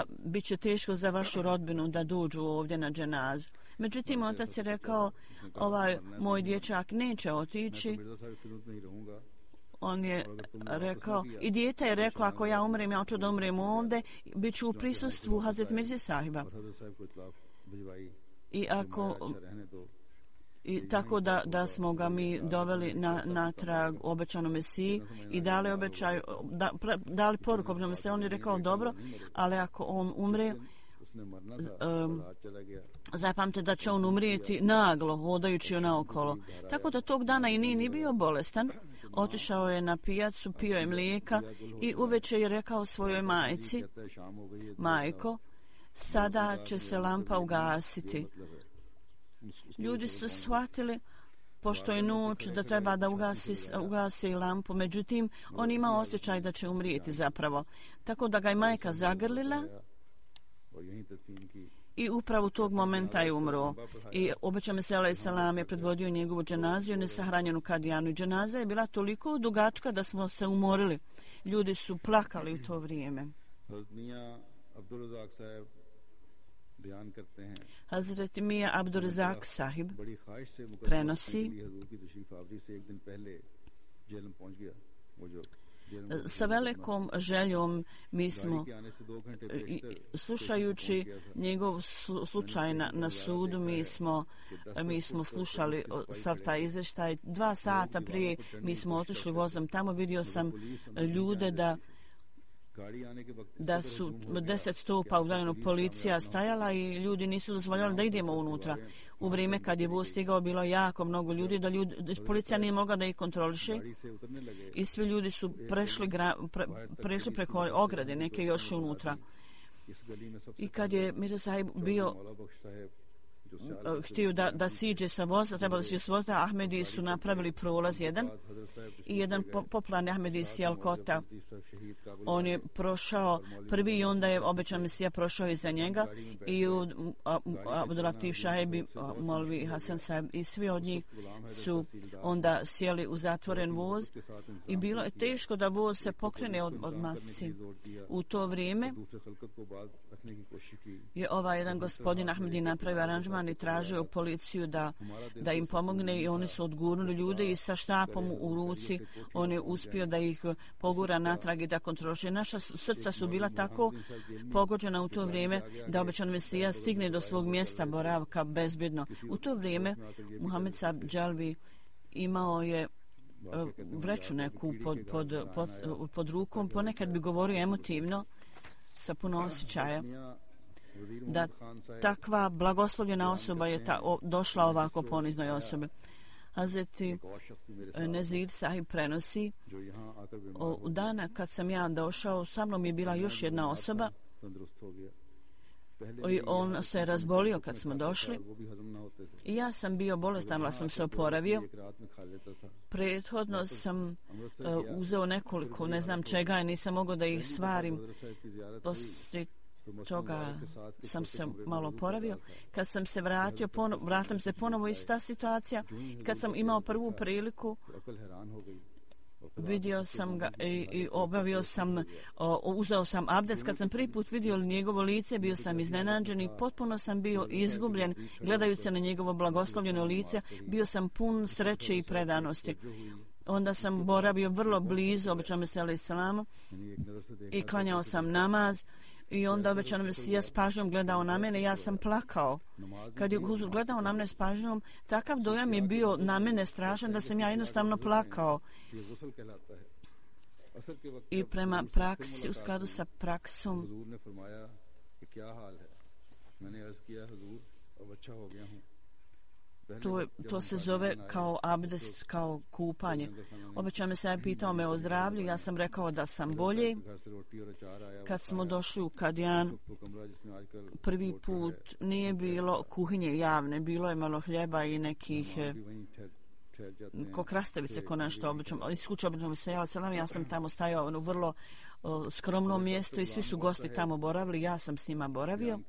bit će teško za vašu rodbinu da dođu ovdje na dženazu. Međutim, otac je rekao, moj dječak neće otići. On je rekao, i dijete je rekao, ako ja umrem, ja hoću da umrem ovdje, bit ću u prisustvu Hazret Mirze sahiba. I tako da smo ga mi doveli na trag obećanom Mesiji i dali poruku obećanom Mesiji. On je rekao, dobro, ali ako on umre, zapamte da će on umrijeti naglo, hodajući naokolo. Tako da tog dana i nije ni bio bolestan. Otišao je na pijacu, pio je mlijeka i uveče je rekao svojoj majci, majko, sada će se lampa ugasiti. Ljudi su shvatili, pošto je noć, da treba da ugasi lampu, međutim, on ima osjećaj da će umrijeti zapravo. Tako da ga je majka zagrlila I upravo tog momenta je umro. I obećao Mesija alejhi selam je predvodio njegovu dženaziju nesahranjenu Kadijanu. I dženaza je bila toliko dugačka da smo se umorili. Ljudi su plakali u to vrijeme. Hazret Mija Abdurazak sahib prenosi sa velikom željom mi smo slušajući njegov slučaj na sudu mi smo slušali sav taj izvještaj 2 sata prije mi smo otišli vozom tamo. Vidio sam ljude da su 10 stopa udaljeno policija stajala i ljudi nisu dozvoljali da idemo unutra. U vrijeme kad je voz stigao bilo jako mnogo ljudi, da policija nije mogla da ih kontroliše i svi ljudi su prešli preko ograde, neke još unutra. I kad je Mirza Sahib bio htio da siđe sa voza, trebalo da siđe sa voza, Ahmedi su napravili prolaz jedan i jedan popularni Ahmedi iz Sijalkota. On je prošao prvi i onda je obećan Mesija prošao iza njega i Abdulatif Šahebi, Molvi Hasan Sahib i svi od njih su onda sjeli u zatvoren voz i bilo je teško da voz se pokrene od masi. U to vrijeme je jedan gospodin Ahmedi napravio aranžman i tražio policiju da im pomogne i oni su odgurnuli ljude i sa štapom u ruci on je uspio da ih pogura natrag i da kontroliše. Naša srca su bila tako pogođena u to vrijeme da obećan Mesija stigne do svog mjesta boravka bezbjedno. U to vrijeme Muhammed Sahib Dželvi imao je vreću neku pod rukom, ponekad bi govorio emotivno sa puno osjećaja da takva blagoslovljena osoba je došla ovako poniznoj osobi. Hazreti Nezir Sahib prenosi u dana kad sam ja došao, sa mnom je bila još jedna osoba i on se razbolio kad smo došli i ja sam bio bolestan, ali sam se oporavio. Prethodno sam uzeo nekoliko, ne znam čega i nisam mogao da ih svarim. Poslije toga sam se malo oporavio. Kad sam se vratio, vratim se ponovo ista situacija. Kad sam imao prvu priliku, vidio sam ga i obavio sam, uzeo sam abdest. Kad sam prvi put vidio njegovo lice, bio sam iznenađen i potpuno sam bio izgubljen. Gledajući na njegovo blagoslovljeno lice, bio sam pun sreće i predanosti. Onda sam boravio vrlo blizu obećanom Mesiju alejhi selam i klanjao sam namaz. I onda obećan Mesija s pažnjom gledao na mene, ja sam plakao. Kad je gledao na mene s pažnjom, takav dojam je bio na mene strašan da sam ja jednostavno plakao. I prema praksi, u skladu sa praksom, to se zove kao abdest, kao kupanje. Obećan me se pitao me o zdravlju, ja sam rekao da sam bolje. Kad smo došli u Kadijan, prvi put nije bilo kuhinje javne, bilo je malo hljeba i nekih ko krastavice, ko nešto obično. Iz kuće obično mi se ja sam tamo stajao u vrlo skromnom mjestu i svi su gosti tamo boravili, ja sam s njima boravio.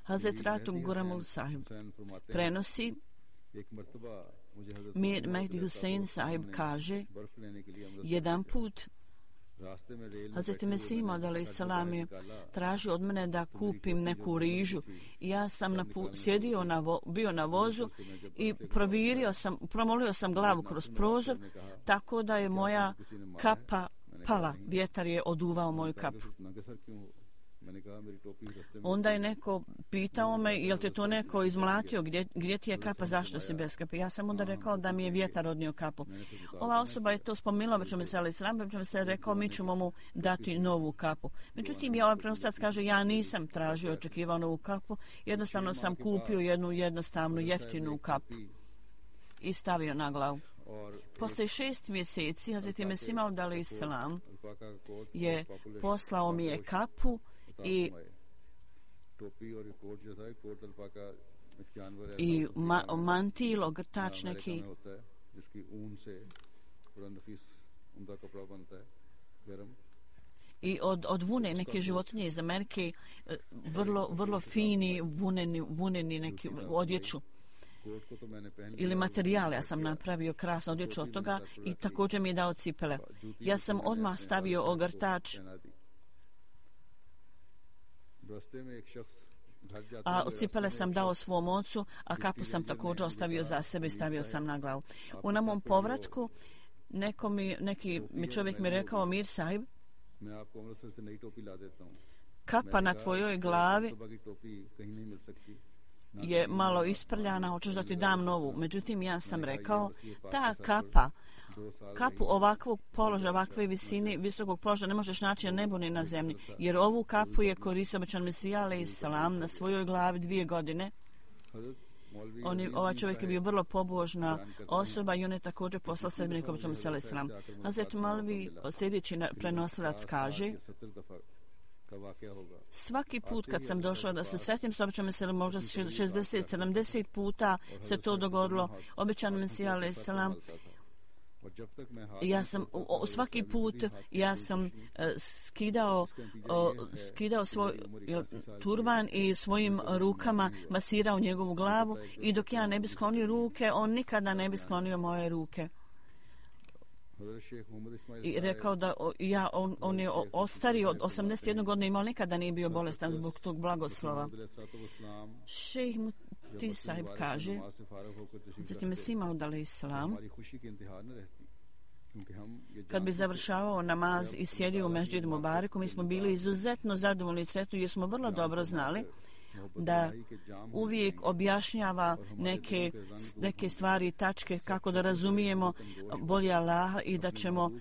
Hazret Ratum Guramul Sahib prenosi, Mir Mehdi Hussein Sahib kaže, jedan put Hazret Mesih Maud alejhi selam je tražio od mene da kupim neku rižu i ja sam bio na vozu i promolio sam glavu kroz prozor tako da je moja kapa pala, vjetar je oduvao moju kapu. Onda je neko pitao me, jel te to neko izmlatio, gdje ti je kapa, zašto si bez kape? Ja sam onda rekao da mi je vjetar odnio kapu. Ova osoba je to spomenula, već me se ali sram, već me se rekao mi ćemo mu dati novu kapu. Međutim, ja ovaj prenosac kaže, ja nisam tražio, očekivao novu kapu, jednostavno sam kupio jednu jednostavnu, jeftinu kapu i stavio na glavu. Poslije 6 mjeseci, Hazreti Mesih Maud alejhi selam je poslao mi je kapu i mantil, ogrtač neki i od vune neke životinje iz Amerike, vrlo fini vuneni neki odjeću ili materijal. Ja sam napravio krasnu odjeću od toga i također mi je dao cipele. Ja sam odmah stavio ogrtač, a od cipele sam dao svom ocu, a kapu sam također ostavio za sebe i stavio sam na glavu. U mom povratku neki mi čovjek mi rekao, Mir Sahib, kapa na tvojoj glavi je malo isprljana, hoćeš da ti dam novu. Međutim, ja sam rekao, ta kapu ovakvog položaja, ovakve visine, visokog položaja ne možeš naći na nebu ni na zemlji, jer ovu kapu je koristio obećan Mesija alejhi selam na svojoj glavi 2 godine. Ovaj čovjek je bio vrlo pobožna osoba i on je također poslao sedbenika obećan Mesija alejhi selam. Hazret Malvi, sljedeći prenosilac, kaže, svaki put kad sam došao da se sretnim s obećanim Mesijom, možda 60-70 puta se to dogodilo, obećan Mesija alejhi selam, ja sam svaki put skidao svoj turban i svojim rukama masirao njegovu glavu i dok ja ne bi sklonio ruke, on nikada ne bi sklonio moje ruke. I rekao da on je ostario od 81 godina, imao, nikada nije bio bolestan zbog tog blagoslova. Šejh Muti Sahib kaže, zatim je Mesija alejhi selam, kad bi završavao namaz i sjedio u Mesdžidu Mubareku, mi smo bili izuzetno zadovoljni i sretni jer smo vrlo dobro znali da uvijek objašnjava neke stvari i tačke kako da razumijemo bolje Allaha i da ćemo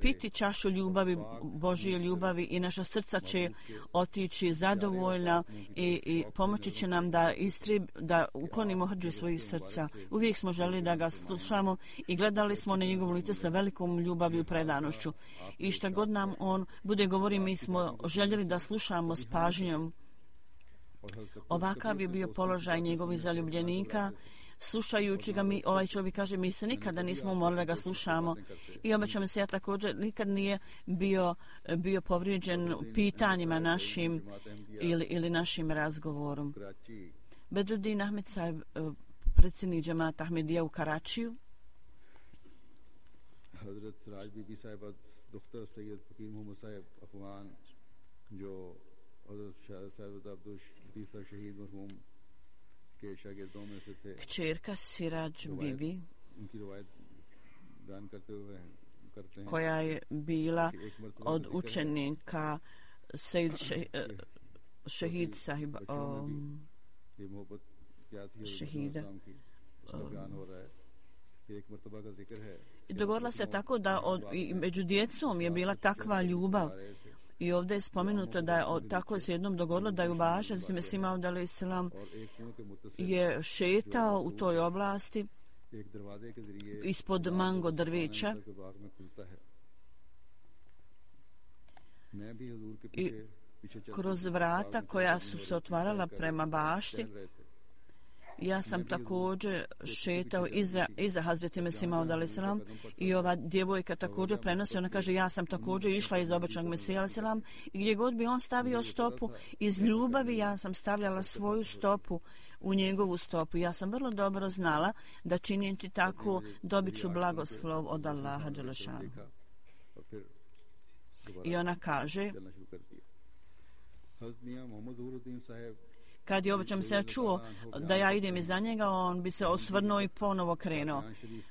piti čašu ljubavi, Božje ljubavi i naša srca će otići zadovoljna i pomoći će nam da uklonimo hrđu svojih srca. Uvijek smo želeli da ga slušamo i gledali smo na njegovo lice sa velikom ljubavi i predanošću. I šta god nam on bude govori, mi smo željeli da slušamo s pažnjom. Ovakav je bio položaj njegovih zaljubljenika. Slušajući ga, ovaj čovjek kaže, mi se nikada nismo umorili da ga slušamo. I obećam se, ja također nikad nije bio povrijeđen pitanjima našim ili našim razgovorom. Bedruddin Ahmed Sahib, predsjednik džemata Ahmedija u Karačiju. Hazrat Siraj Bibi Sahiba, doktor Sayyid Fakir Muhammad Sahib Afghan, jo kćerka Siraj Bibi, koja je bila od učenika Sejid Šehid Sahiba, Šehida. Dogodila se tako da među djecom je bila takva ljubav. I ovdje je spomenuto da je tako se jednom dogodilo da je uvažen, zatim Mesija alejhi selam je šetao u toj oblasti ispod mango drveća i kroz vrata koja su se otvarala prema bašti. Ja sam također šetao iza Hazreti Mesija alejhi selam i ova djevojka također prenosi, ona kaže, ja sam također išla iza obećanog Mesija alejhi selam i gdje god bi on stavio stopu, iz ljubavi ja sam stavljala svoju stopu u njegovu stopu. Ja sam vrlo dobro znala da činjeći tako dobit ću blagoslov od Allaha dželešanu. I ona kaže, kad je obećan se čuo da ja idem iza njega, on bi se osvrnuo i ponovo krenuo.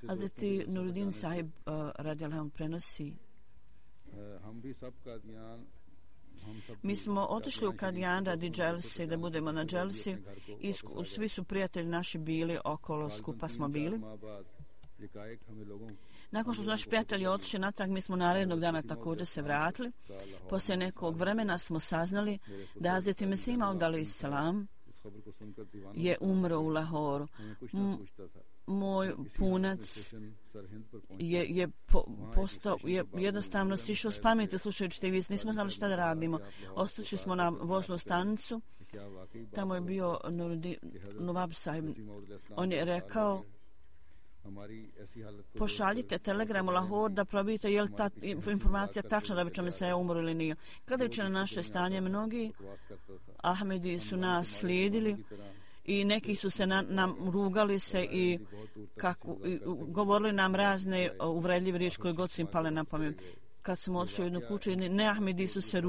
Hazreti Nuruddin Sahib radijallahu prenosi, mi smo otišli u Kadijan radi dželsi, da budemo na dželsi i svi su prijatelji naši bili okolo, skupa smo bili. Nakon što su naši prijatelji otišli natrag, mi smo narednog dana također se vratili. Poslije nekog vremena smo saznali da Hazreti Mesija alejhi selam je umro u Lahoru. Moj punac je jednostavno sišao s pameti slušajući te vijesti. Nismo znali šta da radimo. Otišli smo na voznu stanicu. Tamo je bio Nuruddin Sahib. On je rekao pošaljite telegramu Lahore da probite je li ta informacija tačna da bi ćemo se umro ili nije. Gledajući na naše stanje, mnogi Ahmedi su nas slijedili i neki su se nam rugali se i govorili nam razne uvredljive riječi koje god su im pale na pamet. Kad smo otišli u jednu kuću, ne Ahmedi su se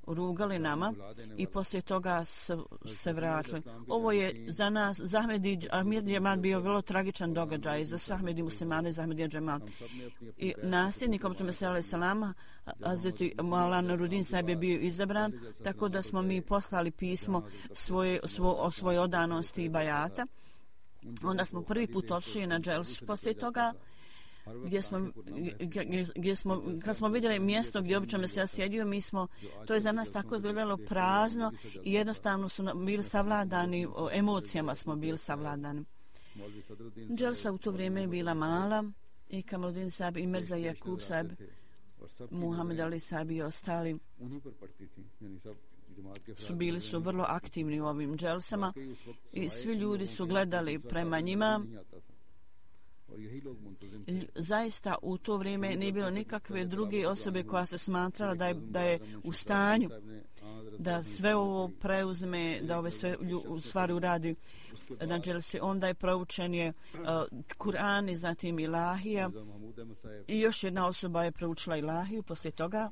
rugali nama i poslije toga se vratili. Ovo je za nas, za Ahmedi džemat bio vrlo tragičan događaj, za sve Ahmedi muslimane, za Ahmedi džemat. I nasljednik, obično se alaih salama, Hazreti Maulana Nurudin sahib je bio izabran, tako da smo mi poslali pismo o svojoj odanosti i bajata. Onda smo prvi put otišli na dželsu. Poslije toga kad smo vidjeli mjesto gdje obično se ja sjedio, to je za nas tako izgledalo prazno i jednostavno su bili savladani, emocijama smo bili savladani. Dželsa u to vrijeme je bila mala i Kamaluddin sahib i Mirza Jakub sahib, Muhammed Ali sahib i ostali bili su vrlo aktivni u ovim dželsama i svi ljudi su gledali prema njima. Zaista u to vrijeme nije bilo nikakve druge osobe koja se smatrala da je u stanju da sve ovo preuzme, da ove sve stvari uradi na dželsi. Onda je proučen je Kur'an i zatim Ilahija i još jedna osoba je proučila Ilahiju poslije toga.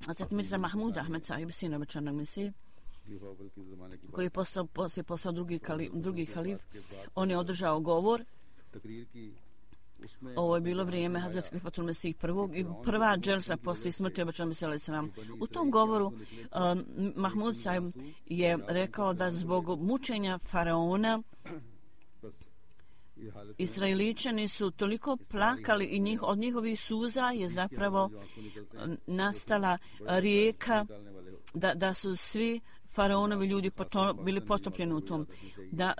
Hazrat Mirza Mahmud Ahmed sahib, sin obećanog Mesije, koji je postao drugi halif, on je održao govor. Ovo je bilo vrijeme Hazrat Khalifatul Mesih prvog i prva dželsa poslije smrti obećanog Mesija alejhi selam. U tom govoru Mahmud sahib je rekao da zbog mučenja faraona Israeličani su toliko plakali i od njihovih suza je zapravo nastala rijeka, da su svi faraonovi ljudi bili potopljeni u tom.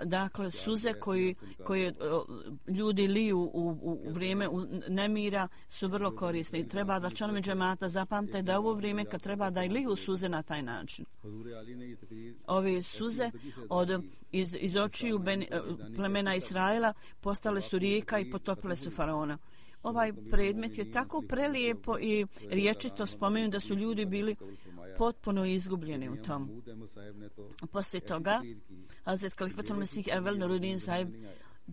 Dakle, suze koje ljudi liju u vrijeme nemira su vrlo korisne i treba da članovi džemata zapamte da je ovo vrijeme kad treba da i liju suze na taj način. Ove suze iz očiju plemena Israela postale su rijeka i potopile su faraona. Ovaj predmet je tako prelijepo i riječito spomenuo da su ljudi bili potpuno izgubljeni u tom. Poslije toga, Hazret Khalifatul Mesih Evvel Nurudin sahib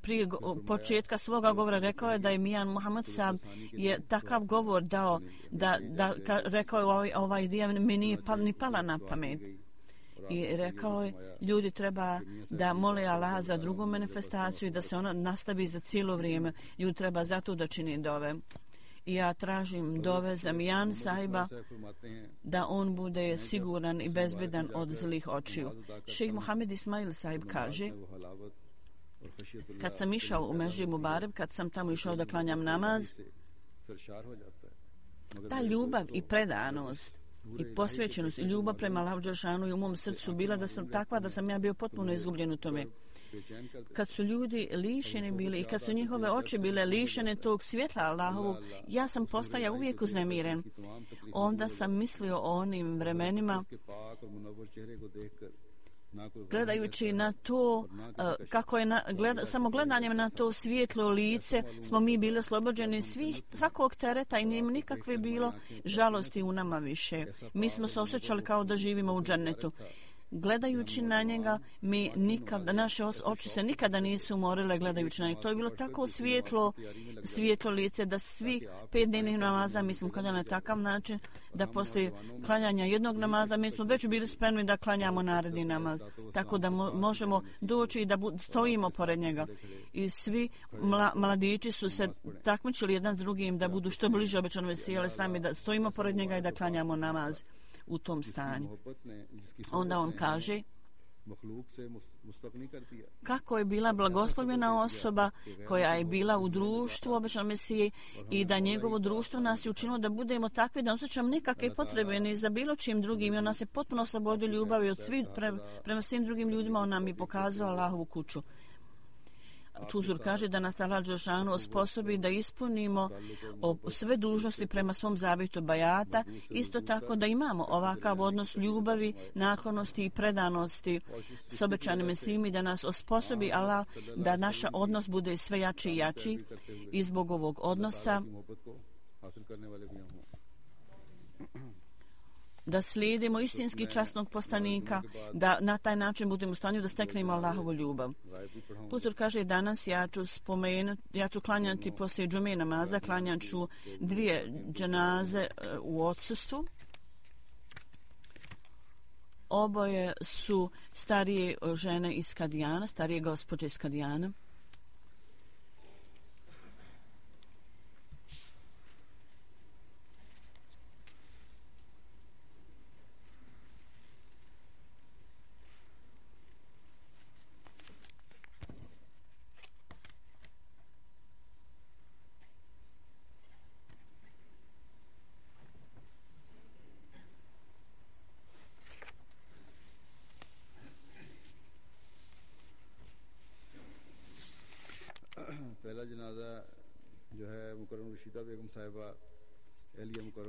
prije početka svoga govora rekao je da je Mian Muhammad sahib je takav govor dao rekao je ovaj idea mi nije ni pala na pamet. I rekao je, ljudi treba da mole Allaha za drugu manifestaciju i da se ona nastavi za cijelo vrijeme. Ljudi treba zato da čini dove. I ja tražim dove za Mian sahiba da on bude siguran i bezbedan od zlih očiju. Šejh Mohamed Ismail sahib kaže, kad sam išao u Mežid Mubarek, kad sam tamo išao da klanjam namaz, ta ljubav i predanost i posvećenost i ljubav prema Allahu dželešanu u mom srcu bila da sam takva da sam ja bio potpuno izgubljen u tome. Kad su ljudi lišeni bili i kad su njihove oči bile lišene tog svjetla Allahovog, ja sam postajao uvijek uznemiren. Onda sam mislio o onim vremenima gledajući na to kako je samo gledanjem na to svijetlo lice smo mi bili oslobođeni svakog tereta i nije nikakve bilo žalosti u nama više. Mi smo se osjećali kao da živimo u džennetu. Gledajući na njega, naše oči se nikada nisu umorile gledajući na njega. To je bilo tako svijetlo lice da svi 5 dnevnih namaza, mi smo klanjali na takav način da poslije klanjanja jednog namaza mi smo već bili spremni da klanjamo naredni namaz. Tako da možemo doći i da stojimo pored njega. I svi mladići su se takmičili jedan s drugim da budu što bliže obećanom Mesiji alejhi selam i da stojimo pored njega i da klanjamo namaz u tom stanju. Onda on kaže kako je bila blagoslovljena osoba koja je bila u društvu obećanog Mesije i da njegovo društvo nas je učinilo da budemo takvi da ne osjećamo nikakve potrebe ni za bilo čim drugim i on nas je potpuno oslobodio ljubavi od svih prema svim drugim ljudima. On nam je pokazao Allahovu kuću. Čuzur kaže da nas Allah dželešanu osposobi da ispunimo sve dužnosti prema svom zavjetu bajata, isto tako da imamo ovakav odnos ljubavi, naklonosti i predanosti s obećanim Mesijom i da nas osposobi Allah da naš odnos bude sve jači i jači i zbog ovog odnosa da slijedimo istinski časnog poslanika, da na taj način budemo u stanju da steknemo Allahovu ljubav. Huzur kaže danas ja ću klanjati poslije džume namaza, klanjat ću 2 dženaze u odsustvu. Oboje su starije žene iz Kadijana, starije gospođe iz Kadijana.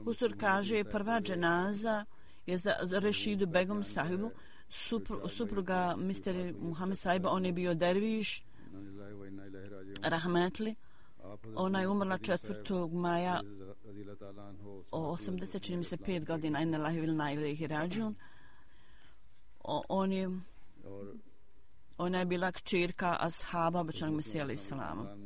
Huzur kaže prva dženaza je za Rešidu Begum sahibu, supruga Mr. Muhammed sahiba, on je bio derviš, rahmetli. Ona je umrla 4. maja 80, čini mi se 5 godina, inna lillahi wa inna ilaihi rađiun. Ona je bila kćerka ashaba obećanog Mesija alejhi selama.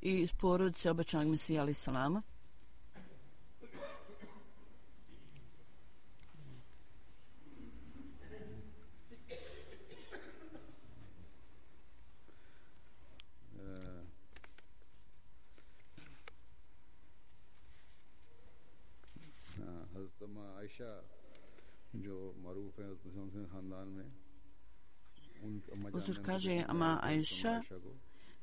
I porodice obećanog Mesija alejhi selama. Huzur kaže ama Aisha,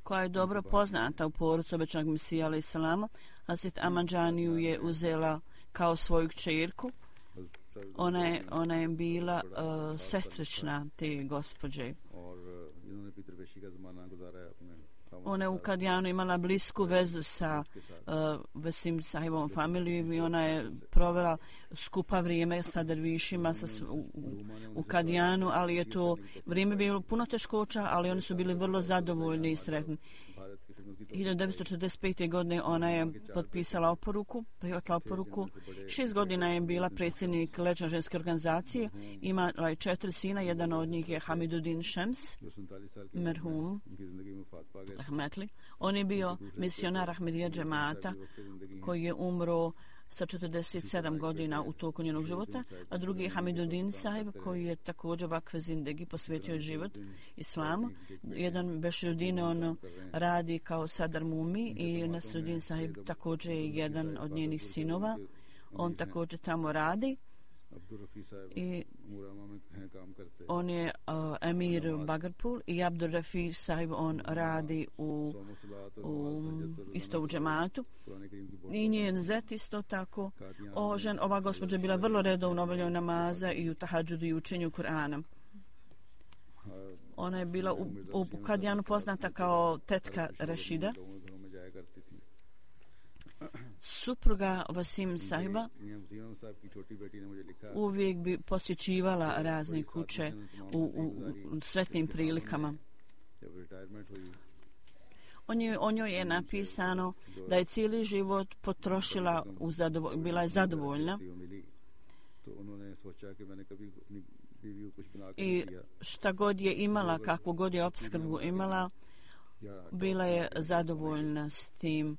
koja je dobro poznata u porodici obećanog Mesija alejhi selama, Hazret Amadžaniju je uzela kao svoju kćerku. Ona je bila sestrična te gospođe. Ona je u Kadijanu imala blisku vezu sa Vesim sahibovom familijom i ona je provela skupa vrijeme sa dervišima u Kadijanu, ali je to vrijeme bilo puno teškoća, ali oni su bili vrlo zadovoljni i sretni. 1945. godine ona je potpisala oporuku, prihvatila oporuku. 6 godina je bila predsjednik Lečne ženske organizacije. Imala je 4 sina, jedan od njih je Hamiduddin Šems, merhum, rahmetli. On je bio misionar Ahmedija džemata koji je umro sa 47 godina u toku njenog života, a drugi je Hamiduddin sahib koji je također vakfe zindegi posvetio život islamu. Jedan Beširuddin on radi kao Sadar Mumi i Nasruddin sahib također je jedan od njenih sinova. On također tamo radi i on je emir Bagarpur i Abdur Rafi sahib on radi isto u džematu i njen zet isto tako. Ova gospođa je bila vrlo redovno obavljaju namaza i u tahadžudu i učenju Kur'ana. Ona je bila u Kadijanu poznata kao tetka Rešida. Supruga Vasim sahiba uvijek bi posjećivala razne kuće u sretnim prilikama. O njoj je napisano da je cijeli život potrošila, bila je zadovoljna i šta god je imala, kakvu god je opskrbu imala, bila je zadovoljna s tim.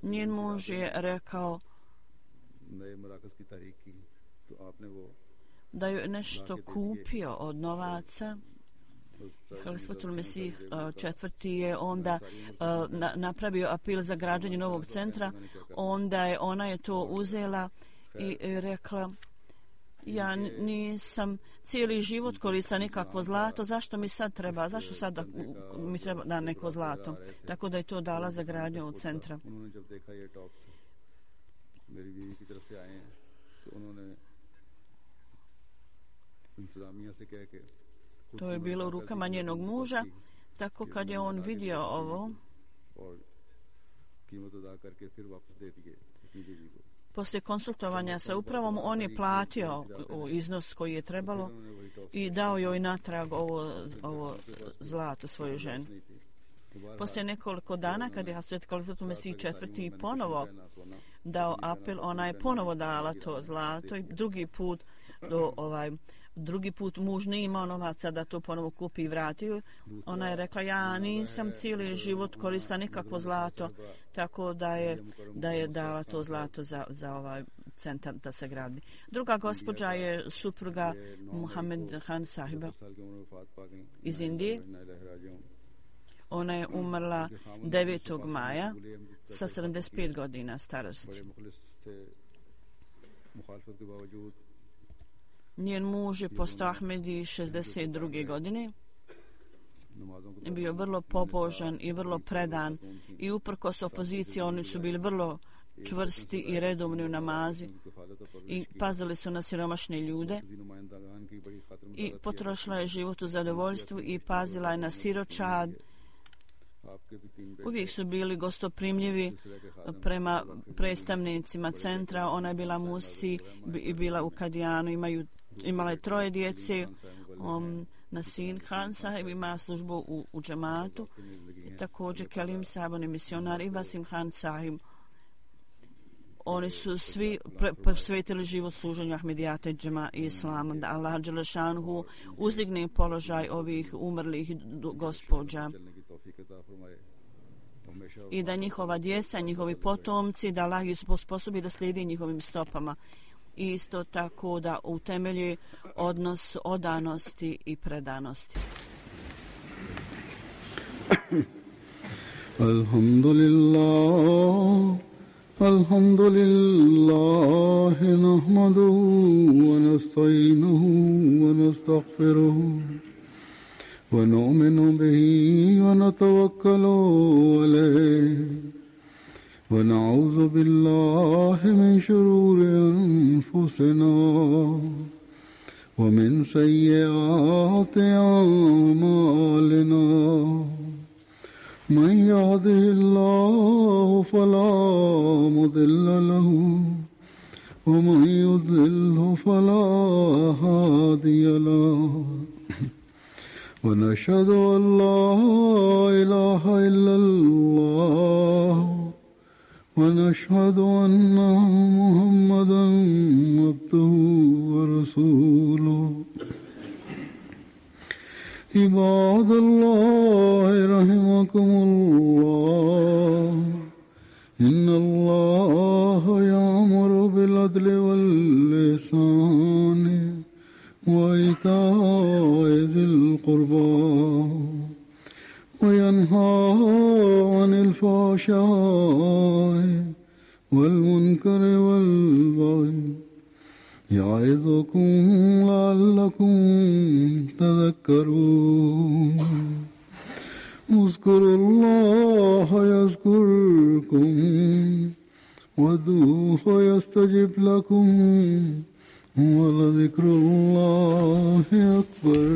Njen muž je rekao da je nešto kupio od novaca. Halifatul Mesih četvrti je onda napravio apel za građenje novog centra. Onda ona je to uzela i rekla: ja nisam cijeli život koristila nikakvo zlato, zašto mi sad treba, zašto sad mi treba da neko zlato? Tako da je to dala za gradnju ovog centra. To je bilo u rukama njenog muža, tako kad je on vidio ovo, poslije konsultovanja sa upravom, on je platio iznos koji je trebalo i dao joj natrag ovo zlato svojoj ženi. Poslije nekoliko dana, kad je Hazret Khalifatul Mesih IV ponovo dao apel, ona je ponovo dala to zlato i drugi put muž nije imao novaca da to ponovo kupi i vrati. Ona je rekla, ja nisam cijeli život koristila nikakvo zlato, tako da je dala to zlato za ovaj centar da se gradi. Druga gospođa je supruga Muhammed Khan sahiba iz Indije. Ona je umrla 9. maja sa 75 godina starosti. Njen muž je postao Ahmedi 62. godine. Bio vrlo pobožan i vrlo predan i uprkos opoziciji oni su bili vrlo čvrsti i redovni u namazi i pazili su na siromašne ljude i potrošila je život u zadovoljstvu i pazila je na siročad. Uvijek su bili gostoprimljivi prema predstavnicima centra. Ona je bila Musi i bila u Kadijanu, imala je 3 djece. Nasin Khan sahib ima službu u džematu i također Kelim sahib, on je misionar, i Vasim Khan sahib. Oni su svi posvetili život služenju Ahmedijata i džema i islama, da Allah dželešanhu uzdigne položaj ovih umrlih gospođa i da njihova djeca, njihovi potomci, da Allah ih sposobi da slijedi njihovim stopama. I isto tako da utemelji odnos odanosti i predanosti. Alhamdulillah, nahmaduhu wa nasta'inuhu wa nastaghfiruhu wa nu'minu bihi wa natawakkalu alayhi wa na'udhu billahi min shururi anfusina wa min sayyiati a'malina. من يهده الله فلا مضل له ومن يضلله فلا هادي له ونشهد أن لا إله إلا الله ونشهد أن محمدا عبده ورسوله. عباد الله رحمكم الله إن الله يأمر بالعدل والإحسان وإيتاء ذي القربى وينهى عن الفحشاء والمنكر والبغي يعظكم لعلكم تذكرون. اذكروا الله يذكركم وادعوه يستجب لكم ولذكر الله أكبر.